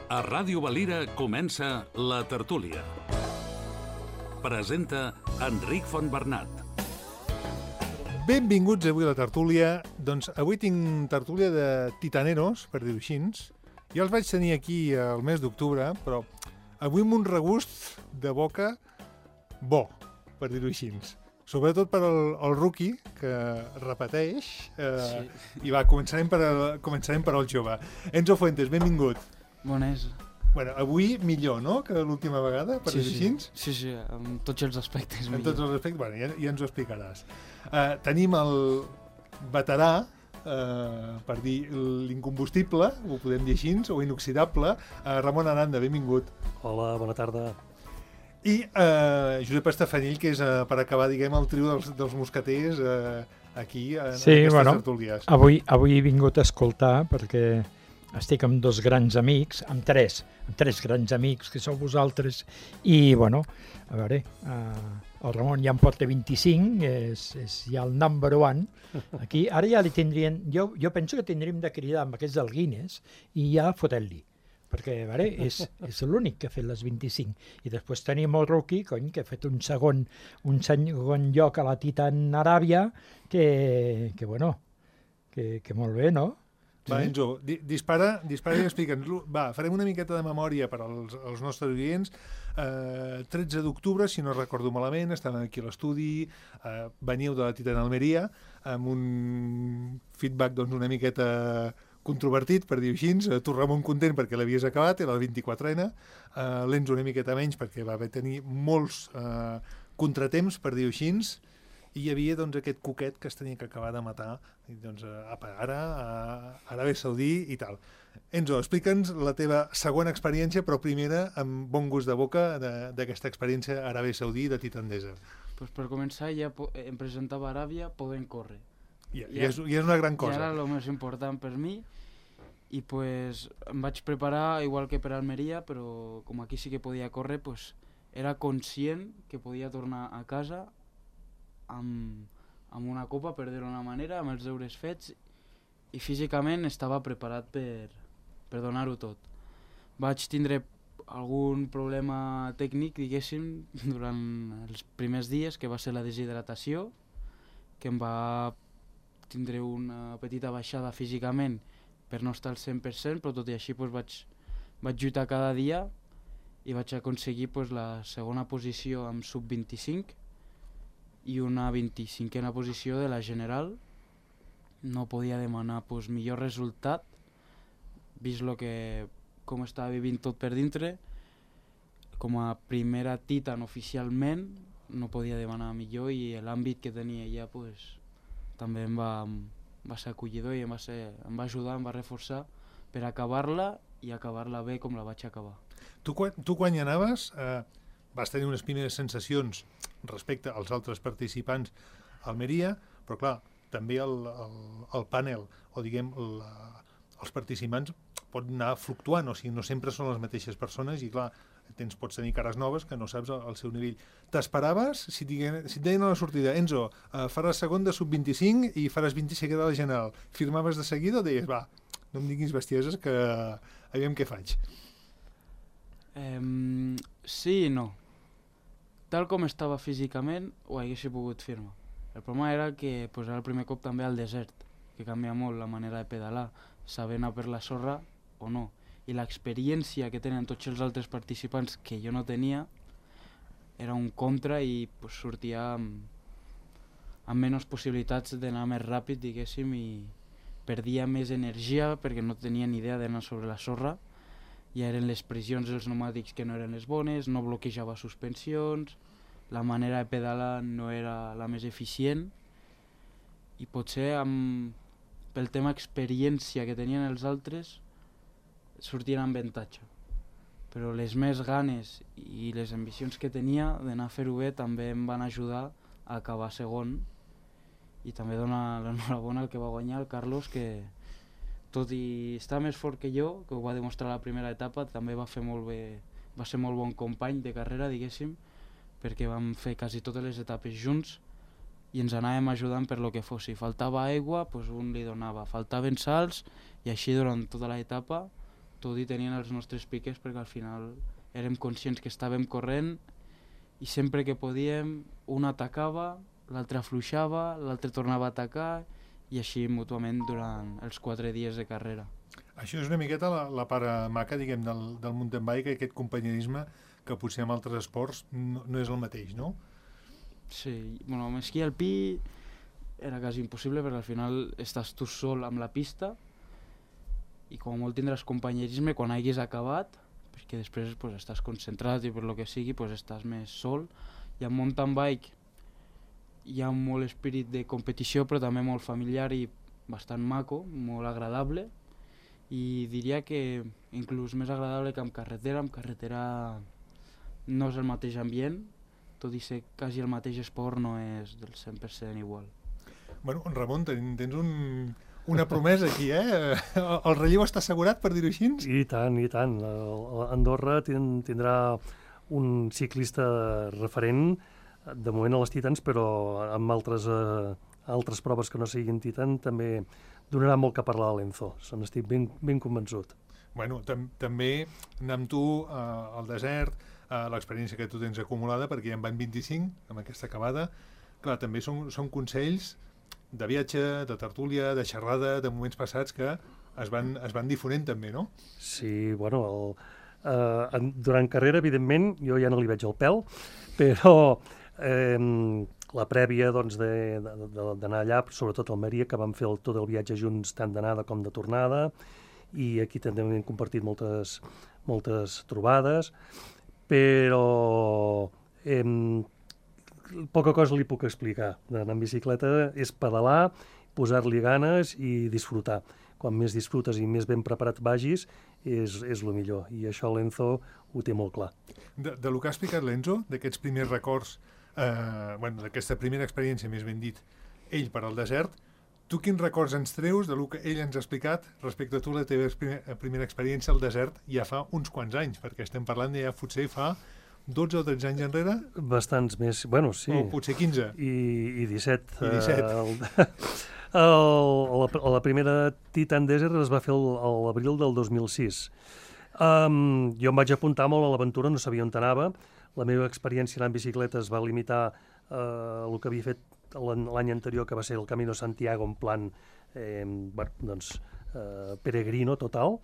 A Ràdio Valira comença La Tertúlia. Presenta Enric Fontbernat. Benvinguts avui a La Tertúlia. Doncs avui tinc tertúlia de titaneros, per dir-ho així. Ja els vaig tenir aquí al mes d'octubre, però avui amb un regust de boca bo, per dir-ho així. Sobretot per al rookie, que repeteix. I va, començarem per al jove. Enzo Fuentes, benvingut. Bones. Bueno, avui millor, no?, que l'última vegada, per dir-ho així? Sí, en tots els aspectes millor. En tots els aspectes, bueno, ja ens ho explicaràs. Tenim el veterà, per dir l'incombustible, ho podem dir així, o inoxidable, Ramon Aranda, benvingut. Hola, bona tarda. I Josep Estefanill, que és, per acabar, diguem, el trio dels mosqueters aquí, en aquestes tertúlies. Avui he vingut a escoltar perquè estic amb dos grans amics, amb tres grans amics, que sou vosaltres, i, bueno, a veure, el Ramon ja en porta 25, és ja el number one, aquí. Ara ja li tindrien, jo penso que tindríem de cridar amb aquests del Guinness i ja fotent-li, perquè, a veure, és l'únic que ha fet les 25. I després tenim el rookie, cony, que ha fet un segon lloc a la Titan Aràbia, que bueno, que molt bé, no? Va, Enzo, dispara i explica'ns-lo. Va, farem una miqueta de memòria per als nostres oients. 13 d'octubre, si no recordo malament, estàvem aquí a l'estudi, veniu de la Titan Almeria, amb un feedback doncs, una miqueta controvertit, per dir-ho així. Tu, Ramon, content perquè l'havies acabat, era la 24ena. L'Enzo una miqueta menys perquè va haver tenir molts contratemps, per dir-ho així. I hi havia doncs, aquest cuquet que es tenia que acabar de matar doncs, ara a Aràbia Saudí i tal. Enzo, explica'ns la teva segona experiència, però primera amb bon gust de boca d'aquesta experiència a Aràbia Saudí de Titandesa. Pues per començar ja em presentava a Aràbia podent córrer. Ja és una gran cosa. I era el més important per mi i pues, em vaig preparar igual que per Almeria, però com aquí sí que podia córrer, pues, era conscient que podia tornar a casa amb una copa, per dir-ho d'una manera, amb els deures fets, i físicament estava preparat per donar-ho tot. Vaig tindre algun problema tècnic, diguéssim, durant els primers dies, que va ser la deshidratació, que em va tindre una petita baixada físicament per no estar al 100%, però tot i així pues, vaig lluitar cada dia i vaig aconseguir pues, la segona posició amb sub-25 i una 25a posició de la general. No podia demanar pues, millor resultat, vist com estava vivint tot per dintre. Com a primera Titan oficialment no podia demanar millor i l'àmbit que tenia ja pues, també em va ser acollidor i em va ajudar, em va reforçar per acabar-la i acabar-la bé com la vaig acabar. Tu quan hi anaves vas tenir unes primeres sensacions respecte als altres participants a Almeria, però clar, també el panel, o diguem, els participants pot anar fluctuant, o sigui, no sempre són les mateixes persones i clar, pots tenir cares noves que no saps el seu nivell. T'esperaves, si et deien a la sortida, Enzo, faràs segon de sub-25 i faràs 25 de la general, firmaves de seguida o deies, va, no em diguis bestieses que aviam què faig? Sí i no. Tal com estava físicament, ho haguessi pogut firmar. El problema era que pues, era el primer cop també al desert, que canvia molt la manera de pedalar, saber anar per la sorra o no. I l'experiència que tenen tots els altres participants que jo no tenia era un contra i pues, sortia amb menys possibilitats d'anar més ràpid, diguéssim, i perdia més energia perquè no tenia ni idea d'anar sobre la sorra. Ja eren les pressions dels pneumàtics que no eren les bones, no bloquejava suspensions, la manera de pedalar no era la més eficient i potser pel tema experiència que tenien els altres sortien amb avantatge. Però les més ganes i les ambicions que tenia d'anar a fer-ho bé també em van ajudar a acabar segon i també donar l'enhorabona al que va guanyar, el Carlos, que tot i estar més fort que jo, que ho va demostrar a la primera etapa, també va ser molt bon company de carrera, diguéssim, perquè vam fer quasi totes les etapes junts i ens anàvem ajudant per lo que fos. Si faltava aigua, doncs un li donava. Faltaven salts i així durant tota l'etapa tot i tenien els nostres piques, perquè al final érem conscients que estàvem corrent i sempre que podíem un atacava, l'altre afluixava, l'altre tornava a atacar i així mútuament durant els 4 dies de carrera. Això és una miqueta la part maca, diguem, del mountain bike, aquest companyerisme que potser en altres esports no és el mateix, no? Sí, bueno, amb esquí alpí era quasi impossible perquè al final estàs tu sol amb la pista i com a molt tindràs companyerisme quan hagis acabat, perquè després pues, estàs concentrat i per lo que sigui pues, estàs més sol. I amb mountain bike hi ha molt espírit de competició però també molt familiar i bastant maco, molt agradable, i diria que inclús més agradable que amb carretera. Amb carretera no és el mateix ambient, tot i ser quasi el mateix esport no és del 100% igual. Bueno, Ramon, tens una promesa aquí, eh? El relleu està assegurat, per dir-ho així? I tant, i tant. Andorra tindrà un ciclista referent, de moment a les Titans, però amb altres proves que no siguin Titan també donarà molt que parlar a l'Enzo. Se n'estic ben convençut. Bueno, també anar amb tu al desert, l'experiència que tu tens acumulada, perquè ja en van 25 amb aquesta acabada. Clar, també són consells de viatge, de tertúlia, de xerrada, de moments passats que es van difonent també, no? Sí, bueno, durant carrera, evidentment, jo ja no li veig el pèl, però la prèvia doncs, d'anar allà, sobretot a Almeria, que vam fer tot el viatge junts, tant d'anada com de tornada, i aquí també hem compartit moltes trobades, però poca cosa li puc explicar. D'anar en bicicleta és pedalar, posar-li ganes i disfrutar. Quan més disfrutes i més ben preparat vagis, és el millor. I això l'Enzo ho té molt clar. De lo que ha explicat l'Enzo, d'aquests primers records, d'aquesta primera experiència, més ben dit, ell per al desert, tu quins records ens treus de lo que ell ens ha explicat respecte a tu la teva primera experiència al desert ja fa uns quants anys? Perquè estem parlant de ja potser fa 12 o 13 anys enrere? Bastants més, bueno, sí. O potser 15. I 17. I 17. La primera Titan Desert es va fer a l'abril del 2006. Jo em vaig apuntar molt a l'aventura, no sabia on anava. La meva experiència anant en bicicleta es va limitar a el que havia fet l'any anterior, que va ser el Camino Santiago en plan peregrino total.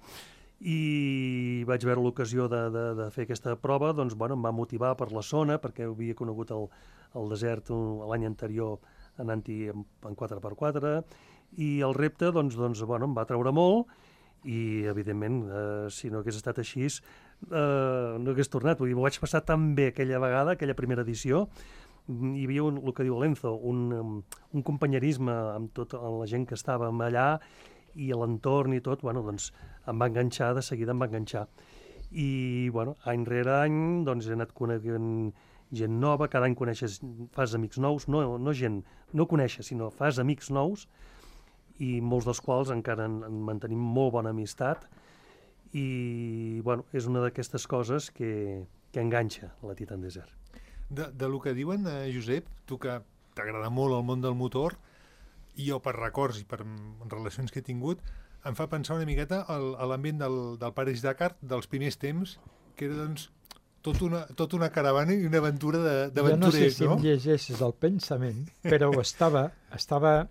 I vaig veure l'ocasió de fer aquesta prova, doncs, em va motivar per la zona, perquè havia conegut el desert l'any anterior anant-hi en 4x4, i el repte em va treure molt, i evidentment, si no hagués estat així, no hagués tornat. Vull dir, m'ho vaig passar tan bé aquella vegada, aquella primera edició. Hi havia el que diu l'Enzo, un companyerisme amb tota la gent que estàvem allà, i l'entorn i tot, em va enganxar, de seguida em va enganxar. I, any rere any, he anat coneguent gent nova, cada any fas amics nous, no coneixes, sinó fas amics nous, i molts dels quals encara en mantenim molt bona amistat, i, és una d'aquestes coses que enganxa la Titan Desert. De lo que diuen, Josep, tu que t'agrada molt el món del motor, i jo per records i per relacions que he tingut, em fa pensar una miqueta a l'ambient del París-Dakar dels primers temps, que era, tot una caravana i una aventura d'aventurers, no? Jo no sé si em llegeixes el pensament, però estava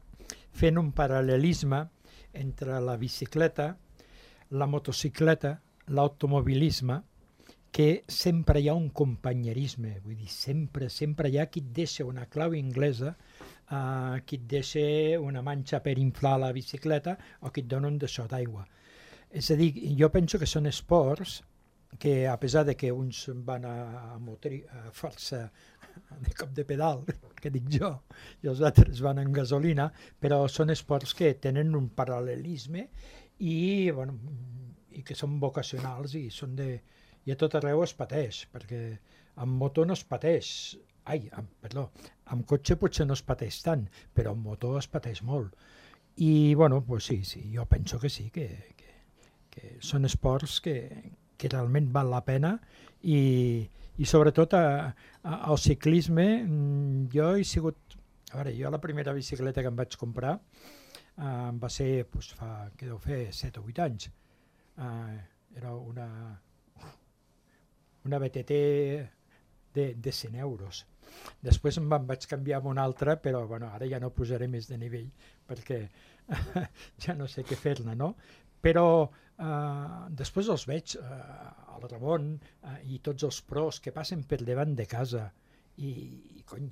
fent un paral·lelisme entre la bicicleta, la motocicleta, l'automobilisme, que sempre hi ha un companyerisme, vull dir, sempre hi ha qui et deixa una clau inglesa, qui et deixa una manxa per inflar la bicicleta o qui et dona un daixò d'aigua. És a dir, jo penso que són esports que, a pesar de que uns van a força de cop de pedal, que dic jo, i els altres van en gasolina, però són esports que tenen un paral·lelisme i que són vocacionals i són i a tot arreu es pateix, perquè amb moto no es pateix, amb cotxe potser no es pateix tant, però amb moto es pateix molt. I, sí, jo penso que sí, que són esports que realment val la pena i sobretot al ciclisme jo he sigut... A veure, jo la primera bicicleta que em vaig comprar va ser fa, què deu fer, 7 o 8 anys. era una BTT de 100 euros. Després me'n vaig canviar amb una altra, però bueno, ara ja no posaré més de nivell perquè ja no sé què fer-ne, no? Però després els veig, el Ramon i tots els pros que passen per davant de casa i cony,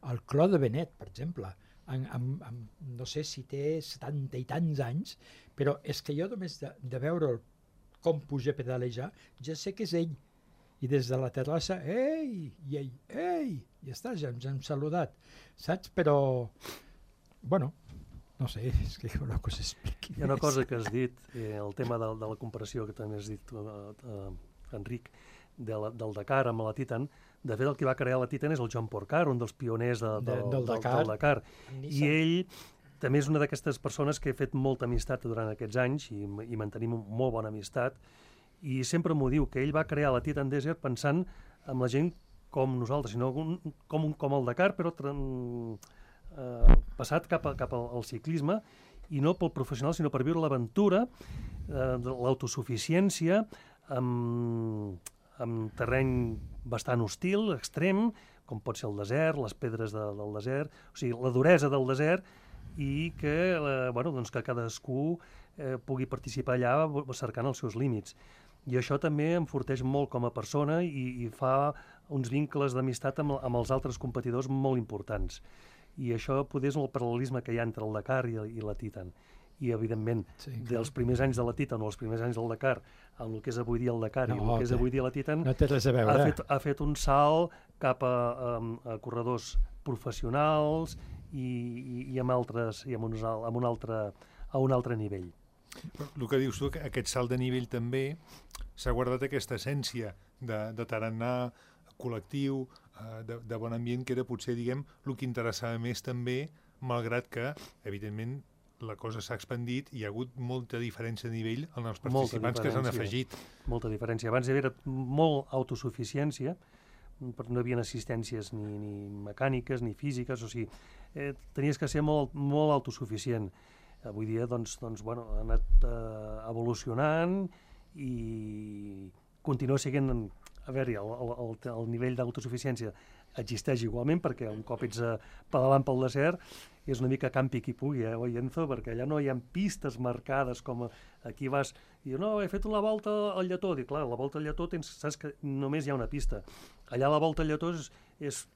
el Clot de Benet, per exemple, no sé si té 70 i tants anys, però és que jo només de veure com puja a pedalejar ja sé que és ell. I des de la terrassa, ei, i ell, ei, ja està, ja ens hem saludat, saps? Però, bueno, no sé, és que una cosa expliqui. Hi ha una cosa que has dit, el tema de la comparació que també has dit, Enric, del Dakar amb la Titan. De fet, el que va crear la Titan és el Joan Porcar, un dels pioners del Dakar. I ell també és una d'aquestes persones que he fet molta amistat durant aquests anys i mantenim molt bona amistat. I sempre m'ho diu, que ell va crear la Titan Desert pensant en la gent com nosaltres, sinó com el Dakar, però passat cap al ciclisme, i no pel professional, sinó per viure l'aventura, l'autosuficiència, amb terreny bastant hostil, extrem, com pot ser el desert, les pedres del desert, o sigui, la duresa del desert, i que, doncs que cadascú pugui participar allà cercant els seus límits. I això també enforteix molt com a persona i fa uns vincles d'amistat amb els altres competidors molt importants. I això poder és el paral·lelisme que hi ha entre el Dakar i la Titan. I, evidentment, dels primers anys de la Titan o els primers anys del Dakar, amb el que és avui dia el Dakar i el que és avui dia la Titan, no té res a veure. Ha fet un salt cap a corredors professionals i a un altre nivell. El que dius tu, aquest salt de nivell també s'ha guardat aquesta essència de tarannà col·lectiu, de bon ambient, que era potser, diguem, el que interessava més també, malgrat que, evidentment, la cosa s'ha expandit i hi ha hagut molta diferència de nivell en els participants que s'han afegit. Molta diferència. Abans hi havia molt autosuficiència, no hi havia assistències ni mecàniques ni físiques, o sigui, tenies que ser molt, molt autosuficient. Avui dia ha anat evolucionant i continua sent, a veure, el nivell d'autosuficiència existeix igualment, perquè un cop ets pedalant pel desert és una mica campi qui pugui, oi, Enzo? Perquè allà no hi ha pistes marcades com aquí vas i no, he fet la volta al Lletó. Dic, clar, la volta al Lletó saps que només hi ha una pista. Allà la volta al Lletó és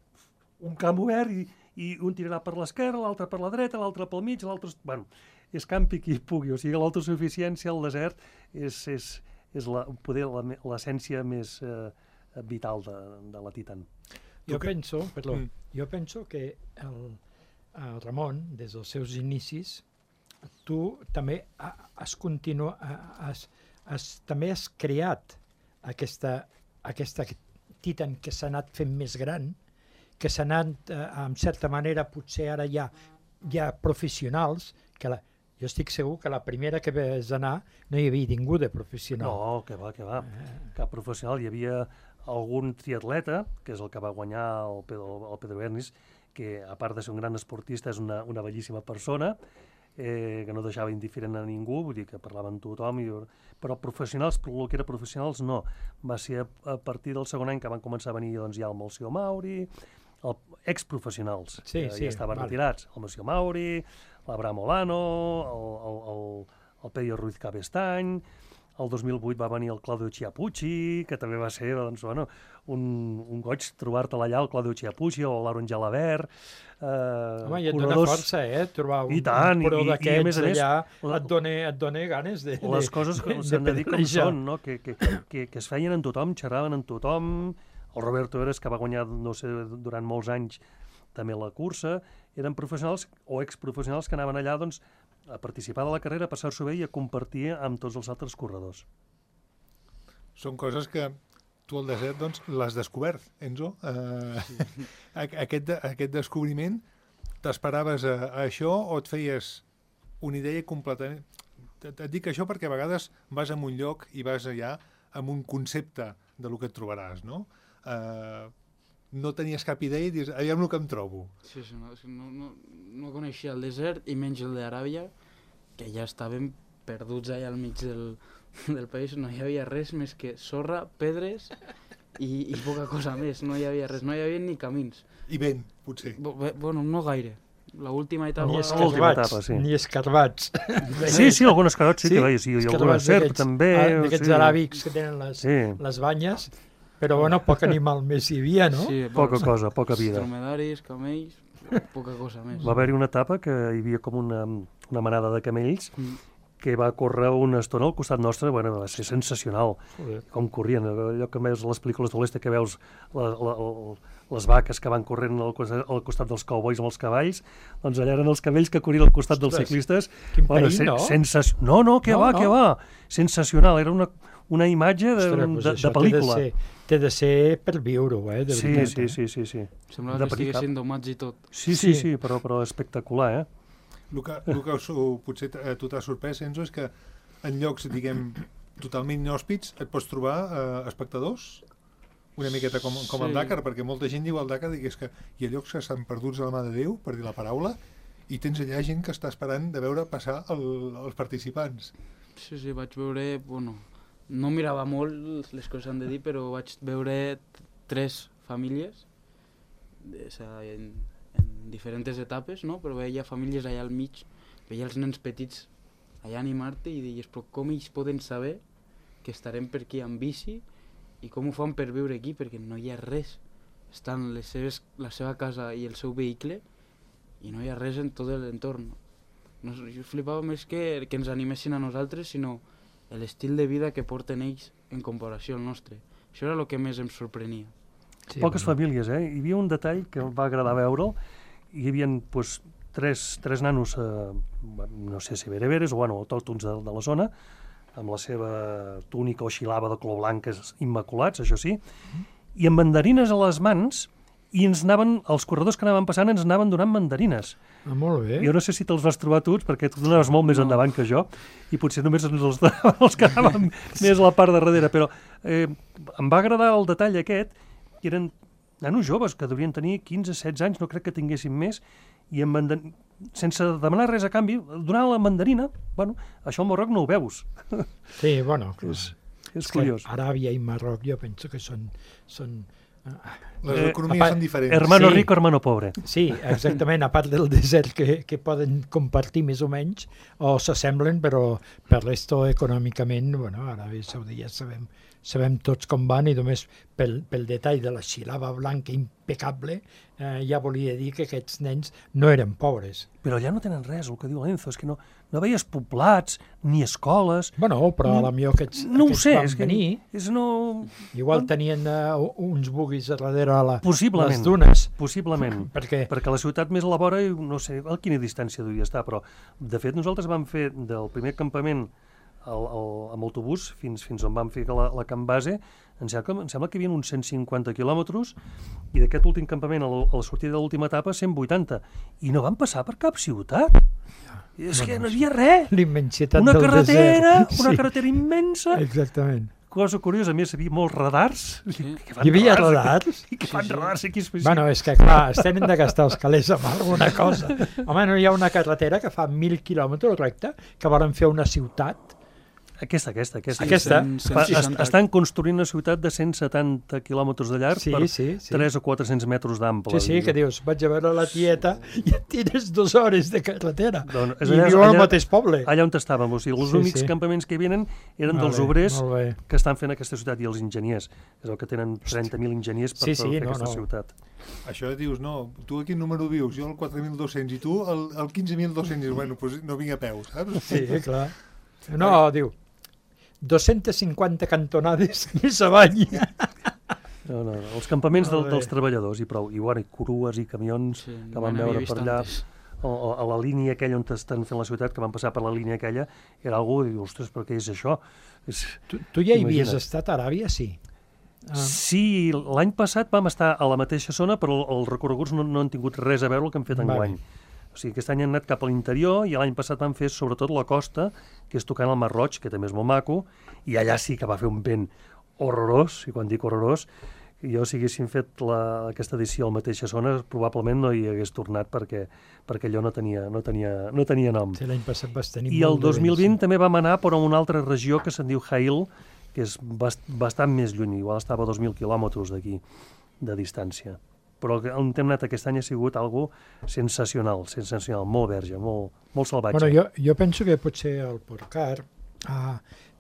un camp obert i un tirarà per l'esquerra, l'altre per la dreta, l'altre pel mig, l'altre... Bueno, és campi qui pugui, o sigui, l'autosuficiència al desert és l'essència més vital de la Titan. Jo penso que el Ramon, des dels seus inicis, tu també també has creat aquesta Titan que s'ha anat fent més gran, que s'ha anat, en certa manera, potser ara hi ha professionals, que jo estic segur que la primera que vas anar no hi havia ningú de professional. No, que va. Cap professional. Hi havia algun triatleta, que és el que va guanyar el Pedro Bernis, que a part de ser un gran esportista és una bellíssima persona, que no deixava indiferent a ningú, vull dir que parlava amb tothom, però professionals, el que era professionals, no. Va ser a partir del segon any que van començar a venir ja el Melcior Mauri, exprofessionals, que ja estaven retirats, el Melcior Mauri, l'Abraham Olano, el Pedro Ruiz Cabestany. El 2008 va venir el Claudio Chiappucci, que també va ser un goig trobar-te allà, el Claudio Chiappucci o l'Aaron Jalabert. Home, i et dona força, trobar un pro d'aquests allà, et dona ganes de pedalejar. Les coses s'han de dir com són, no? Que es feien amb tothom, xerraven amb tothom. El Roberto Eres, que va guanyar, no sé, durant molts anys també la cursa, eren professionals o exprofessionals que anaven allà, doncs, a participar de la carrera, a passar-s'ho bé i a compartir amb tots els altres corredors. Són coses que tu al desert doncs, l'has descobert, Enzo. Aquest descobriment, t'esperaves a això o et feies una idea completament... Et dic això perquè a vegades vas a un lloc i vas allà amb un concepte de lo que et trobaràs, no? No tenies cap idea i dius, aviam el que em trobo. Sí, no coneixia el desert i menys el d'Aràbia, que ja estaven perduts allà al mig del país no hi havia res més que sorra, pedres i poca cosa més. No hi havia res, no hi havia ni camins. I vent, potser. Bueno, no gaire. L'última etapa... L'última escarbats, etapa, sí. ni escarbats. Sí, algun escarot sí que veia, sí, i alguna serp també. D'aquests aràbics que tenen les banyes, però bueno, poc animal més hi havia, no? Sí, Poca cosa, poca vida. Dromedaris, camells, poca cosa més. Va haver-hi una etapa que hi havia com una manada de camells que va córrer una estona al costat nostre, bueno, va ser sensacional, com corrien, allò que veus a les pel·lícules de l'Oest, que veus les vaques que van corrent al costat dels cowboys amb els cavalls, doncs allà eren els camells que corrien al costat dels ciclistes. Quin perill, no? No, què va? Sensacional, era una imatge de pel·lícula. Té de ser per viure-ho, de veritat. Sí. Sembla que estiguessin domats i tot. Sí, però espectacular, El que potser a tu t'ha sorprès, Enzo, és que en llocs, diguem, totalment inhòspits et pots trobar espectadors una miqueta com el Dakar, perquè molta gent diu al Dakar que hi ha llocs que estan perduts a la mà de Déu, per dir la paraula, i tens allà gent que està esperant de veure passar els participants. Sí, vaig veure... Bueno, no mirava molt les coses han de dir, però vaig veure 3 famílies en diferents etapes, no? Però veia famílies allà al mig, veia els nens petits allà animar-te i deies, però com ells poden saber que estarem per aquí amb bici i com ho fan per viure aquí, perquè no hi ha res. Estan la seva casa i el seu vehicle i no hi ha res en tot l'entorn. No, jo flipava més que ens animessin a nosaltres, sinó l'estil de vida que porten ells en comparació al nostre. Això era el que més em sorprenia. Sí, poques famílies, Hi havia un detall que em va agradar veure'l. Hi havia tres nanos, no sé si bereberes o autòctons de la zona, amb la seva túnica o xilava de color blanc immaculats, això sí, i amb mandarines a les mans, i els corredors que anaven passant ens anaven donant mandarines. Molt bé. Jo no sé si te'ls vas trobar tots, perquè tu anaves molt més endavant que jo, i potser només ens els donaven els que anaven més a la part de darrere, però em va agradar el detall aquest, que eren nanos joves, que deurien tenir 15-16 anys, no crec que tinguessin més, i sense demanar res a canvi, donant la mandarina, això al Marroc no ho veus. Sí, bueno, és curiós. Aràbia i Marroc jo penso que són les economies són diferents. Hermano rico, hermano pobre. Sí, exactament, a part del desert que poden compartir més o menys, o s'assemblen, però per resto econòmicament, Aràbia Saudita sabem tots com van, i només pel detall de la xilava blanca impecable ja volia dir que aquests nens no eren pobres. Però allà no tenen res, el que diu l'Enzo, és que no veies poblats, ni escoles... Però a la millor aquests van venir, igual tenien uns buguis a darrere a les dunes. Possiblement, perquè la ciutat més a la vora, no sé a quina distància devia estar, però de fet nosaltres vam fer del primer campament amb autobús fins on vam fer la camp base, em sembla que hi havia uns 150 quilòmetres, i d'aquest últim campament a la sortida de l'última etapa 180, i no van passar per cap ciutat. És que no hi havia res. L'immensitat del desert. Una carretera immensa. Exactament. Cosa curiosa, a més, hi havia molts radars. Hi havia radars? I que fan radars aquí específics. Bueno, és que clar, es tenen de gastar els calés amb alguna cosa. Home, no hi ha una carretera que fa 1.000 quilòmetres recta, que volen fer una ciutat. Aquesta. Sí, estan construint una ciutat de 170 quilòmetres de llarg per 3 o 400 metres d'ample. Sí, que dius, vaig a veure la tieta i et tires 2 hores de carretera. I viu al mateix poble. Allà on estàvem, o sigui, els únics campaments que hi venen eren dels obrers que estan fent aquesta ciutat, i els enginyers. És el que tenen 30.000 enginyers per fer aquesta ciutat. Això dius, no, tu a quin número vius? Jo el 4.200 i tu el 15.200. Bueno, doncs no vinc a peu, saps? Sí, clar. No, diu, 250 cantonades més avall. No, els campaments dels treballadors i prou, i curues i camions que van veure per allà, a la línia aquella on estan fent la ciutat, que van passar per la línia aquella, era algú i diu, ostres, però què és això? Tu ja hi havies estat a Aràbia, sí? Sí, l'any passat vam estar a la mateixa zona, però els recorreguts no han tingut res a veure el que hem fet enguany. O sigui, aquest any han anat cap a l'interior, i l'any passat van fer sobretot la costa, que és tocant el Mar Roig, que també és molt maco, i allà sí que va fer un vent horrorós, i quan dic horrorós, Jo, si haguéssim fet aquesta edició al mateixa zona, probablement no hi hagués tornat perquè allò no tenia nom. Sí, l'any passat vas tenir I el 2020 també vam anar per una altra regió que se'n diu Jail, que és bastant més lluny, igual estava a 2.000 quilòmetres d'aquí, de distància. Però on hem anat aquest any ha sigut algo sensacional, molt verge, molt salvatge. Bueno, jo penso que potser el Porcar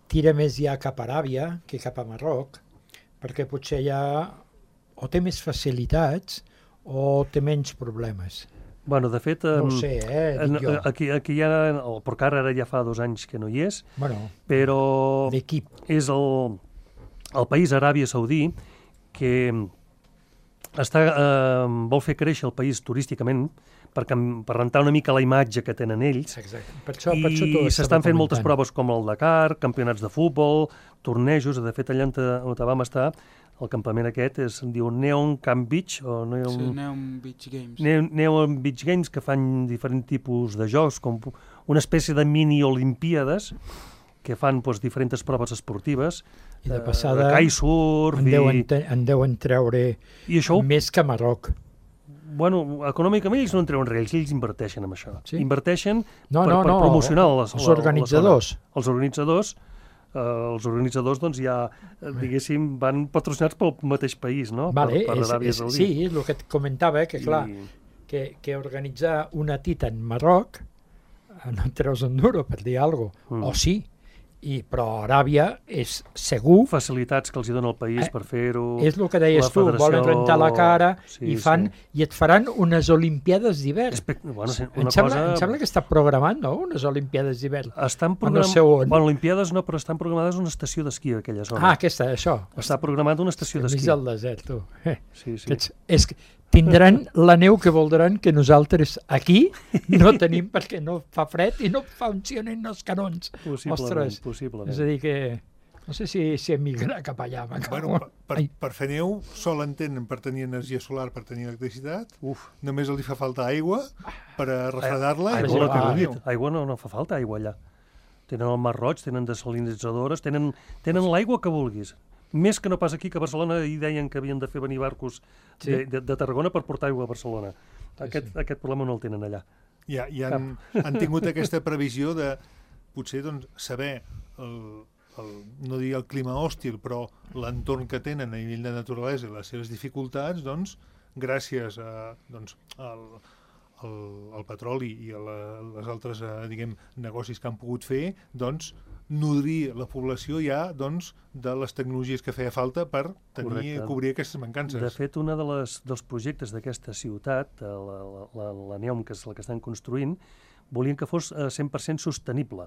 tira més ja cap a Aràbia que cap a Marroc, perquè potser ja o té més facilitats o té menys problemes. Bueno, de fet, No ho sé, dic jo. aquí ja, el Porcar ara ja fa 2 anys que no hi és, Bueno, però d'equip. és el país Aràbia Saudí que vol fer créixer el país turísticament per rentar una mica la imatge que tenen ells. Exacte. Per això I s'estan fent moltes proves com el Dakar, campionats de futbol, tornejos. De fet, allà on vam estar, el campament aquest es diu Neon Camp Beach, o Neon Beach Games. Neon Beach Games, que fan diferents tipus de jocs, com una espècie de mini-olimpíades, que fan diferents proves esportives, I de passada kitesurf... en deuen treure I això, més que Marroc. bueno, econòmicament ells no en treuen res, ells inverteixen en això. Sí? Inverteixen No, per promocionar els organitzadors. Els organitzadors doncs ja, diguéssim, van patrocinats pel mateix país, no? Vale, per Aràbia Saudí. sí, és el que et comentava, que clar, que organitzar una tita en Marroc no et treus un duro, per dir alguna cosa, o sí, però Aràbia és segur, Facilitats que els hi dona el país per fer-ho. és el que deies tu, volen rentar la cara Sí, i et faran unes Olimpiades d'hivern. Bueno, Em sembla que està programant, no?, unes Olimpiades d'hivern. No sé on. Bueno, Olimpiades no, però estan programades una estació d'esquí a aquella zona. Això. Està programada una estació Enmig d'esquí. del desert, tu. Sí. És que tindran la neu que voldran que nosaltres aquí no tenim perquè no fa fred i no funcionen els canons. Possiblement. És a dir que no sé si emigrar cap allà. Bueno, per fer neu sol en tenen per tenir energia solar, per tenir electricitat. Només els hi fa falta aigua per a refredar-la. Aigua no fa falta, aigua allà. Tenen el Mar Roig, tenen desalinitzadores, tenen l'aigua que vulguis. Més que no pas aquí, que a Barcelona hi deien que havien de fer venir barcos de Tarragona per portar aigua a Barcelona. Aquest problema no el tenen allà. Ja han tingut aquesta previsió de potser saber no dir el clima hòstil, però l'entorn que tenen a nivell de naturalesa i les seves dificultats, gràcies al petroli i a les altres negocis que han pogut fer, nodrir la població ja de les tecnologies que feia falta per cobrir aquestes mancances. De fet, un dels projectes d'aquesta ciutat, la Neom, que és la que estan construint, volien que fos 100% sostenible,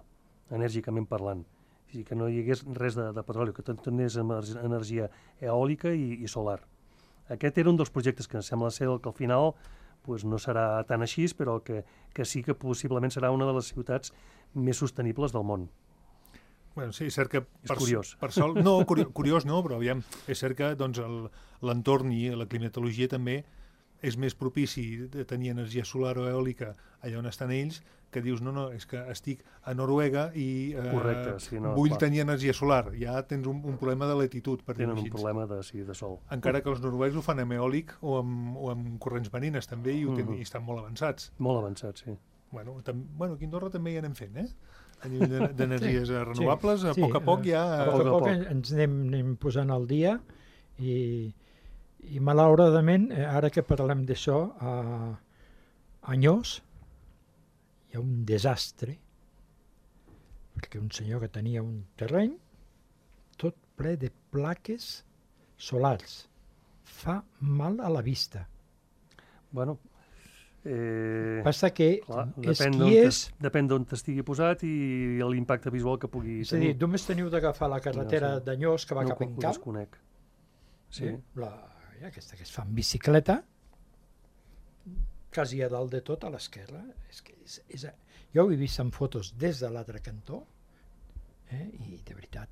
enèrgicament parlant. És a dir, que no hi hagués res de petroli, que tot anés amb energia eòlica i solar. Aquest era un dels projectes que sembla ser que al final no serà tan així, però que sí que possiblement serà una de les ciutats més sostenibles del món. Bueno, sí, és cert que curiós. Curiós no, però aviam, és cert que l'entorn i la climatologia també és més propici de tenir energia solar o eòlica allà on estan ells, que dius, no, és que estic a Noruega i vull tenir energia solar. Ja tens un problema de latitud, per dir-ho així. Tenen un problema de sol. Encara que els noruecs ho fan amb eòlic o amb corrents marines també i estan molt avançats. Molt avançats, sí. Bueno, aquí a Andorra també hi anem fent, a nivell d'energies renovables, a poc a poc ja... A poc a poc ens anem posant al dia i malauradament, ara que parlem d'això, a Nyós hi ha un desastre, perquè un senyor que tenia un terreny tot ple de plaques solars. Fa mal a la vista. Bueno... Passa que depèn d'on estigui posat i l'impacte visual que pugui tenir. És a dir, només teniu d'agafar la carretera de Nyós que va cap en Camp. No ho desconec. Sí. Aquesta que es fa en bicicleta, quasi a dalt de tot, a l'esquerra. Jo ho he vist en fotos des de l'altre cantó i de veritat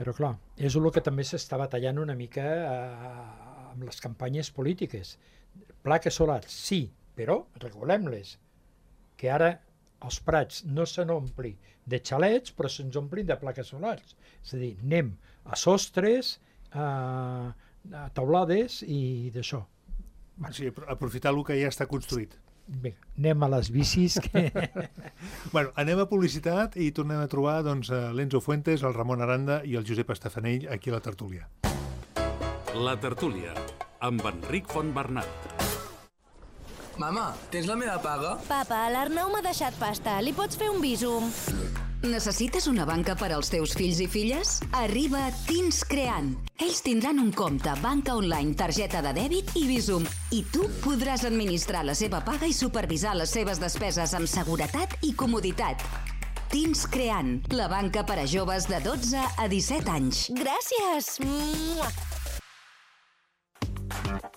Però clar, és el que també s'està batallant una mica amb les campanyes polítiques. Plaques solars, sí, però regulem-les. Que ara els prats no se n'ompli de xalets, però se'ns omplin de plaques solars. És a dir, anem a sostres teulades i d'això. Sí, aprofitar el que ja està construït. Bé, anem a les bicis. Bueno, anem a publicitat i tornem a trobar doncs, l'Enzo Fuentes, el Ramon Aranda i el Josep Estafanell aquí a la tertúlia. La tertúlia, amb Enric Fontbernat. Mama, tens la meva paga? Papa, l'Arnau m'ha deixat pasta. Li pots fer un bísum? Necessites una banca per als teus fills i filles? Arriba Teens Creant. Ells tindran un compte, banca online, targeta de dèbit i Bizum. I tu podràs administrar la seva paga i supervisar les seves despeses amb seguretat i comoditat. Teens Creant, la banca per a joves de 12 a 17 anys. Gràcies!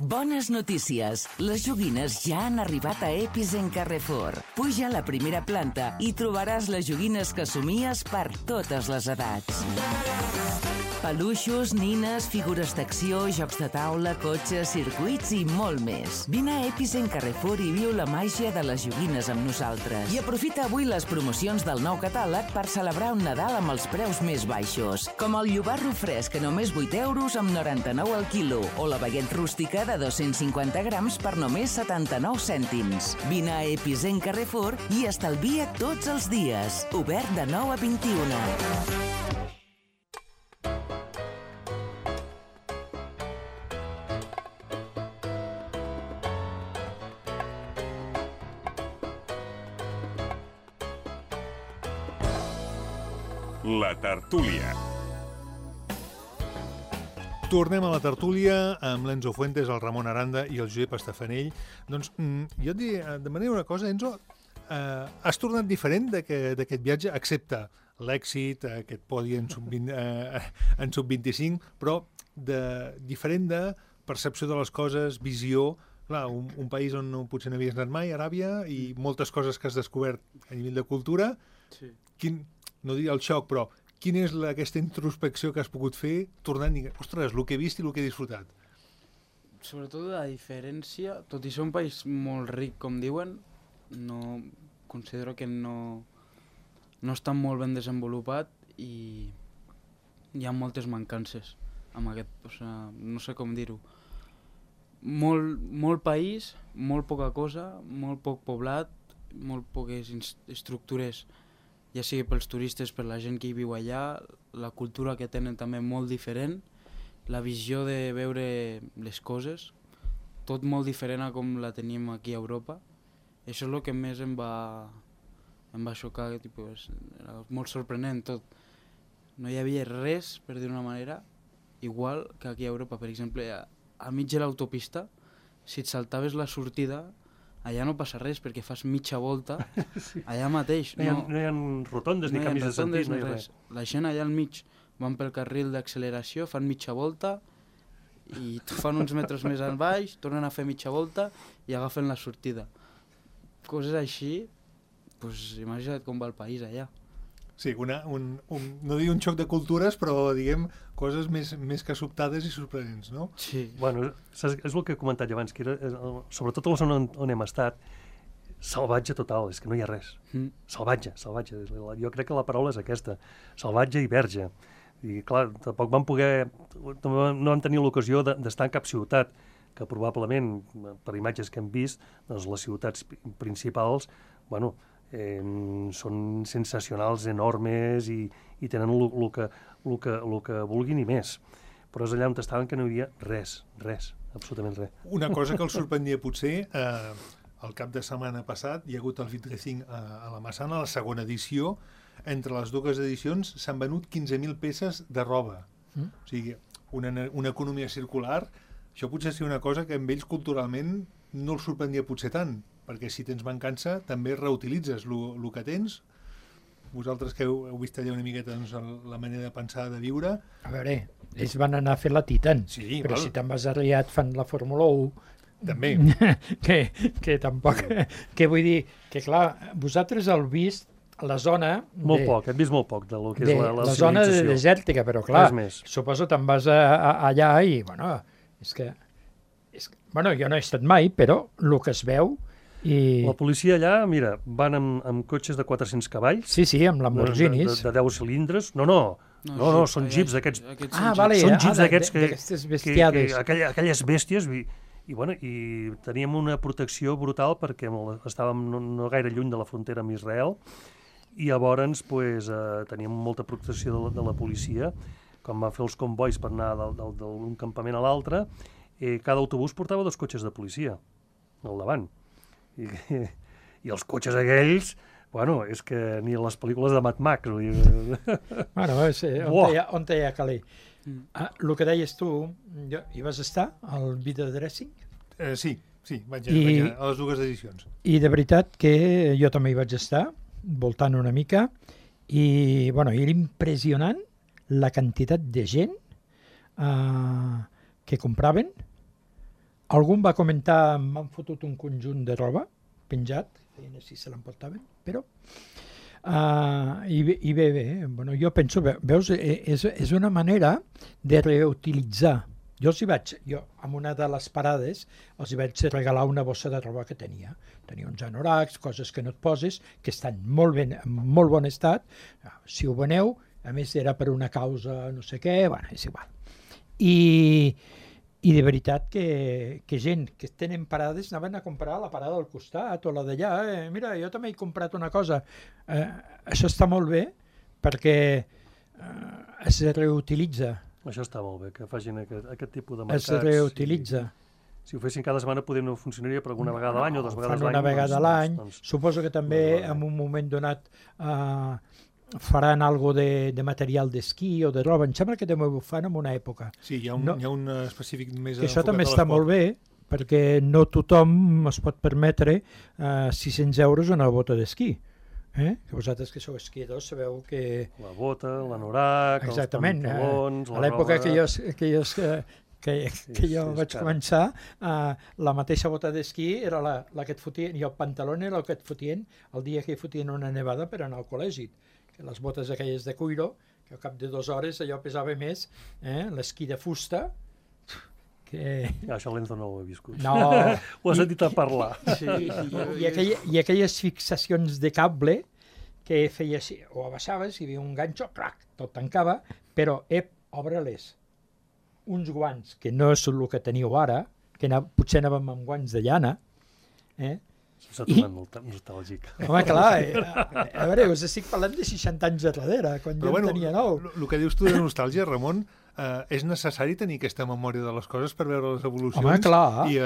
Bones notícies. Les joguines ja han arribat a Epicent Carrefour. Puja a la primera planta i trobaràs les joguines que somies per totes les edats. Peluixos, nines, figures d'acció, jocs de taula, cotxes, circuits i molt més. Vine a Epicent Carrefour i viu la màgia de les joguines amb nosaltres. I aprofita avui les promocions del nou catàleg per celebrar un Nadal amb els preus més baixos, com el llobarro fresc a només 8 euros amb 99 al quilo o la baguette rústica de 250 grams per només 79 cèntims. Vine a Epicent Carrefour i estalvia tots els dies. Obert de 9 a 21. La tertúlia. Tornem a la tertúlia amb l'Enzo Fuentes, el Ramon Aranda i el Josep Estafanell. Doncs jo et demanaria una cosa, Enzo. Has tornat diferent d'aquest viatge, excepte l'èxit, aquest podi en sub-25, però diferent de percepció de les coses, visió. Clar, un país on potser no havies anat mai, Aràbia, i moltes coses que has descobert a nivell de cultura. Sí. No diria el xoc, però quina és aquesta introspecció que has pogut fer tornant i dir, ostres, el que he vist i el que he disfrutat? Sobretot la diferència, tot i ser un país molt ric, com diuen, considero que no està molt ben desenvolupat i hi ha moltes mancances amb aquest, no sé com dir-ho. Molt país, molt poca cosa, molt poc poblat, molt poques estructures, ja sigui pels turistes, per la gent que hi viu allà, la cultura que tenen també molt diferent, la visió de veure les coses, tot molt diferent a com la tenim aquí a Europa. Això és el que més em va xocar, era molt sorprenent tot. No hi havia res, per dir una manera, igual que aquí a Europa. Per exemple, a mig de l'autopista, si et saltaves la sortida, allà no passa res, perquè fas mitja volta, sí. Allà mateix. No hi ha rotondes ni canvis de sentit, no hi ha res. La gent allà al mig van pel carril d'acceleració, fan mitja volta, i fan uns metres més al baix, tornen a fer mitja volta i agafen la sortida. Coses així, doncs imagina't com va el país allà. Sí, no dic un xoc de cultures, però diguem coses més que sobtades i sorprenents, no? Sí. Bueno, és el que he comentat ja abans, que era, sobretot a la zona on hem estat, salvatge total, és que no hi ha res. Salvatge. Jo crec que la paraula és aquesta, salvatge i verge. I clar, tampoc no vam tenir l'ocasió d'estar en cap ciutat, que probablement, per imatges que hem vist, doncs les ciutats principals, bueno, són sensacionals, enormes i tenen el que vulguin i més. Però és allà on estaven que no hi havia res, absolutament res. Una cosa que els sorprendia potser, el cap de setmana passat hi ha hagut el Vitrefink a la Massana, la segona edició. Entre les dues edicions s'han venut 15.000 peces de roba. O sigui, una economia circular. Això potser seria una cosa que amb ells culturalment no els sorprendia potser tant, perquè si tens mancança també reutilitzes el que tens. Vosaltres que heu vist allà una miqueta doncs, la manera de pensar, de viure. A veure, ells van anar a fer la Titan, sí, però si te'n vas arriat fan la Fórmula 1... També. que tampoc... Que vull dir, que clar, vosaltres heu vist la zona... Molt poc, hem vist molt poc de lo que és la zona desèrtica, però clar, suposo te'n vas allà i, bueno, és que... Bueno, jo no he estat mai, però el que es veu... La policia allà, mira, van amb cotxes de 400 cavalls. Sí, amb Lamborghinis. De 10 cilindres. No, No, són jeeps d'aquests. Vale. Són jeeps d'aquests d'aquestes bestiades. Aquelles bèsties, i teníem una protecció brutal perquè estàvem no gaire lluny de la frontera amb Israel i llavors teníem molta protecció de la policia. Quan vam fer els convois per anar d'un campament a l'altre, cada autobús portava 2 cotxes de policia al davant. I els cotxes aquells, és que ni a les pel·lícules de Mad Max. On hi ha caler. El que deies tu, hi vas estar al Video Dressing? Sí, vaig a les 2 edicions. I de veritat que jo també hi vaig estar, voltant una mica, i era impressionant la quantitat de gent que compraven. Algú va comentar, m'han fotut un conjunt de roba penjat, feien si se l'emportaven, però... I bé, jo penso, veus, és una manera de reutilitzar. Jo en una de les parades, els vaig regalar una bossa de roba que tenia. Tenia uns anoracs, coses que no et poses, que estan molt bé, en molt bon estat. Si ho veneu, a més era per una causa no sé què, és igual. I de veritat que gent que tenen parades anaven a comprar la parada al costat o la d'allà. Mira, jo també he comprat una cosa. Això està molt bé perquè es reutilitza. Això està molt bé, que facin aquest tipus de mercats. Es reutilitza. Si ho fessin cada setmana potser no funcionaria, però una vegada a l'any o 2 vegades a l'any. Una vegada a l'any. Suposo que també en un moment donat faran algo de material d'esquí o de roba. Em sembla que també ho fan en una època. Sí, hi ha un específic més... Això també està molt bé, perquè no tothom es pot permetre 600 euros una bota d'esquí. Que vosaltres que sou esquiadors sabeu que... La bota, l'anorac, els pantalons... A l'època que jo vaig començar, la mateixa bota d'esquí era la que et fotien, i el pantalón era el que et fotien el dia que hi fotien una nevada per anar al col·legi. Que les botes aquelles de cuiro, que al cap de 2 hores allò pesava més, l'esquí de fusta, que... Això l'Enzo no ho he viscut. No. Ho has sentit a parlar. I aquelles fixacions de cable que feies, o abaixaves, hi havia un ganxo, crac, tot tancava, però obre-les. Uns guants, que no és el que teniu ara, que potser anàvem amb guants de llana, S'ha tornat molt nostàlgic. Home, clar, a veure, us estic parlant de 60 anys darrere, quan jo en tenia 9. El que dius tu de nostàlgia, Ramon, és necessari tenir aquesta memòria de les coses per veure les evolucions. Home, clar. I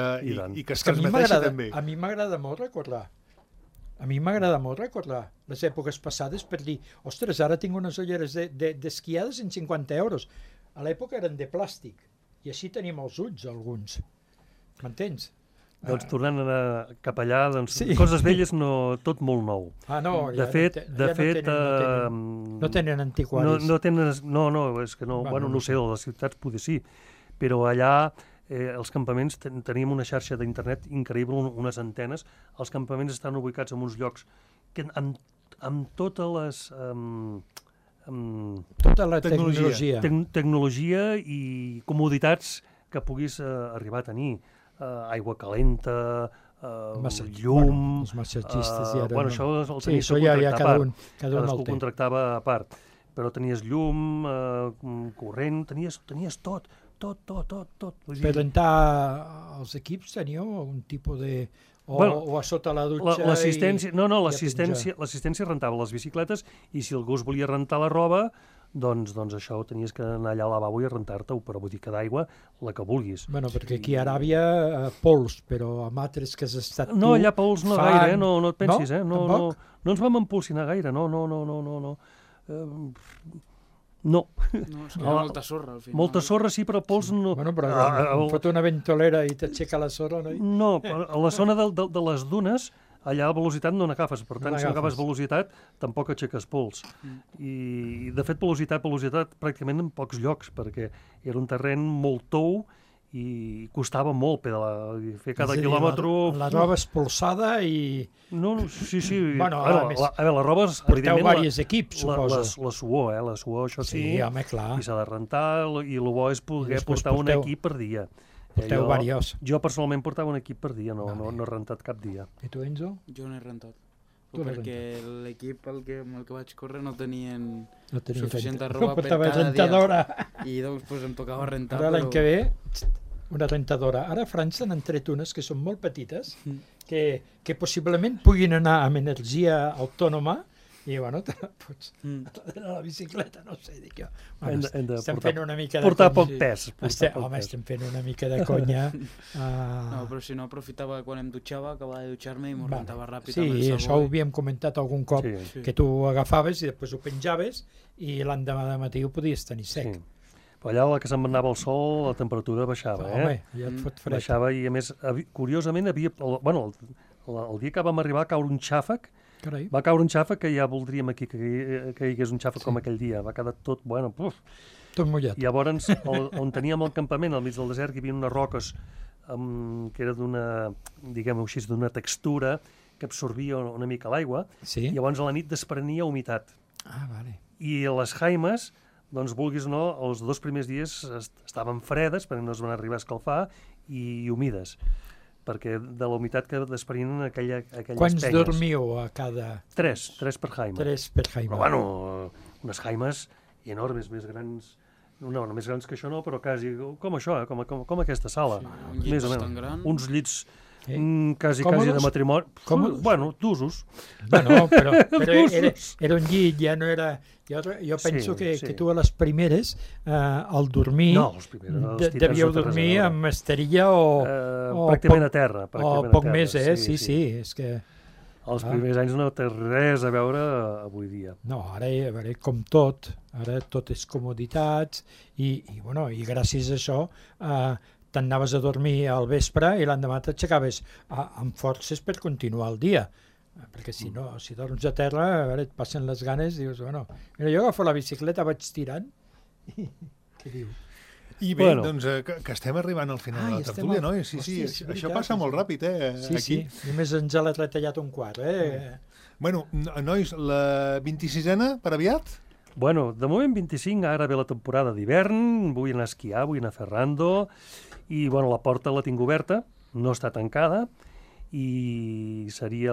que es transmeteixi també. A mi m'agrada molt recordar. A mi m'agrada molt recordar les èpoques passades per dir, ostres, ara tinc unes ulleres d'esquiades en 50 euros. A l'època eren de plàstic, i així tenim els ulls, alguns. M'entens? Doncs tornant cap allà, coses velles, tot molt nou. No, de fet, no tenen antiquaris. No, és que no, no sé, a les ciutats potser sí, però allà els campaments teníem una xarxa d'internet increïble, unes antenes. Els campaments estan ubicats en uns llocs que amb totes les... tota la tecnologia. Tecnologia i comoditats que puguis arribar a tenir. Aigua calenta, llum... Els massatgistes ja eren... Això el tenies que contractar a part. Cadascú contractava a part. Però tenies llum, corrent, tenies tot. Per rentar els equips teníeu un tipus de... O a sota la dutxa... L'assistència rentava les bicicletes i si algú es volia rentar la roba, doncs això tenies que anar allà al lavabo i rentar-te-ho, però botiga d'aigua, la que vulguis. Bueno, perquè aquí a Aràbia pols, però amb altres que has estat tu... No, allà pols no gaire, no et pensis, no ens vam empolsinar gaire, no. No, és que hi ha molta sorra, al final. Molta sorra, sí, però pols no... Bueno, però fot una ventolera i t'aixeca la sorra, no? No, a la zona de les dunes, allà a velocitat no n'agafes, per tant, si no agafes velocitat, tampoc aixeques pols. I, de fet, velocitat pràcticament en pocs llocs, perquè era un terreny molt tou i costava molt pedalar, fer cada quilòmetre... La roba espolsada i... No, sí. Bueno, a veure, la roba... Porteu diversos equips, suposo. La suor, això sí. Sí, home, clar. I s'ha de rentar, i el bo és poder portar un equip per dia. Porteu diversos. Jo personalment portava un equip per dia, no he rentat cap dia. I tu, Enzo? Jo no he rentat. perquè l'equip amb el que vaig córrer no tenien suficient no roba per portava cada rentadora. dia. I doncs pues, em tocava rentar. Ara l'any que ve, una rentadora. Ara a França n'han tret unes que són molt petites, que possiblement puguin anar amb energia autònoma i, bueno, te la pots a la bicicleta, no sé, dic jo. Bueno, estem fent una mica de portar poc pes. Home, estem fent una mica de conya. No, però si no, aprofitava quan em dutxava, acabava de dutxar-me i m'ho rentava ràpid amb el sabó. Sí, això ho havíem comentat algun cop, que tu ho agafaves i després ho penjaves i l'endemà de matí ho podies tenir sec. Però allà, a la que se'n anava el sol, la temperatura baixava, Home, ja et fot fred. Baixava i, a més, curiosament, el dia que vam arribar a caure un xàfec, va caure un xàfec que ja voldríem aquí que hi hagués un xàfec com aquell dia. Va quedar tot, tot mullat. I llavors, on teníem el campament, al mig del desert, hi havia unes roques que era d'una, diguem-ho així, d'una textura que absorbia una mica l'aigua, i llavors a la nit desprenia humitat. Vale. I les jaimes, doncs, vulguis o no, els 2 primers dies estaven fredes, perquè no es van arribar a escalfar, i humides, perquè de la humitat que desprenien aquelles penyes. Quants dormiu a cada... 3 per jaima. 3 per jaima. Però, bueno, unes jaimes enormes, més grans, no, més grans que això no, però quasi com això, com aquesta sala. Un llit bastant gran. Uns llits quasi de matrimoni. Bueno, d'usos. Bueno, però era un llit, ja no era... Jo penso que tu a les primeres, al dormir, devíeu dormir amb esterilla o pràcticament a terra. O poc més, sí, és que... Els primers anys no té res a veure avui dia. No, ara com tot, ara tot és comoditats i gràcies a això t'anaves a dormir al vespre i l'endemà t'aixecaves amb forces per continuar el dia. Perquè si no, si dorms a terra, et passen les ganes, dius, bueno, mira, jo agafo la bicicleta, vaig tirant i què diu? I bé, doncs, que estem arribant al final de la tertúlia, no? Sí, això passa molt ràpid, Sí, només ens l'ha retallat un quart, Bueno, nois, la 26a per aviat? Bueno, de moment 25, ara ve la temporada d'hivern, vull anar a esquiar, vull anar a fer rando, i bueno, la porta la tinc oberta, no està tancada, i seria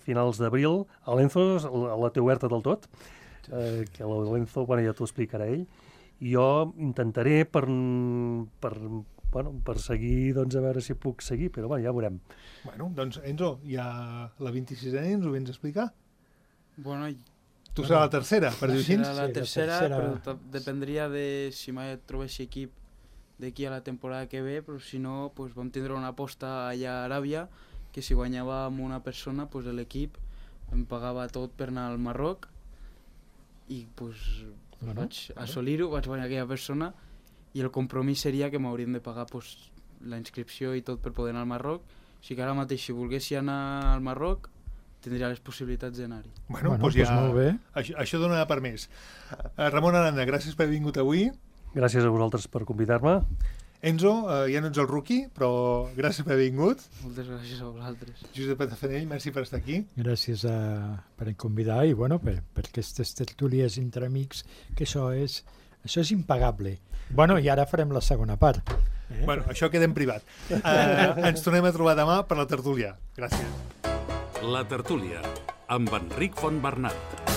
finals d'abril. A l'Enzo la té oberta del tot, que l'Enzo, bueno, ja t'ho explicarà ell, i jo intentaré per seguir, doncs a veure si puc seguir, però bueno, ja veurem. Bueno, doncs Enzo, ja la 26a ens ho vens a explicar? Bueno, tu serà la tercera, per dir-ho així? La tercera, però dependria de si mai et trobessi equip d'aquí a la temporada que ve, però si no, vam tindre una aposta allà a Aràbia, que si guanyava amb una persona, l'equip em pagava tot per anar al Marroc i vaig assolir-ho, vaig guanyar aquella persona i el compromís seria que m'haurien de pagar la inscripció i tot per poder anar al Marroc. O sigui que ara mateix, si volguessi anar al Marroc, tindria les possibilitats d'anar-hi. Bueno, doncs ja, això dona per més. Ramon Aranda, gràcies per haver vingut avui. Gràcies a vosaltres per convidar-me. Enzo, ja no ets el rookie, però gràcies per haver vingut. Moltes gràcies a vosaltres. Josep Patafanell, merci per estar aquí. Gràcies per convidar i per aquestes tertúlies entre amics, que això és impagable. Bueno, i ara farem la segona part. Bueno, això queda en privat. Ens tornem a trobar demà per la tertúlia. Gràcies. La tertúlia, amb Enric Fontbernat.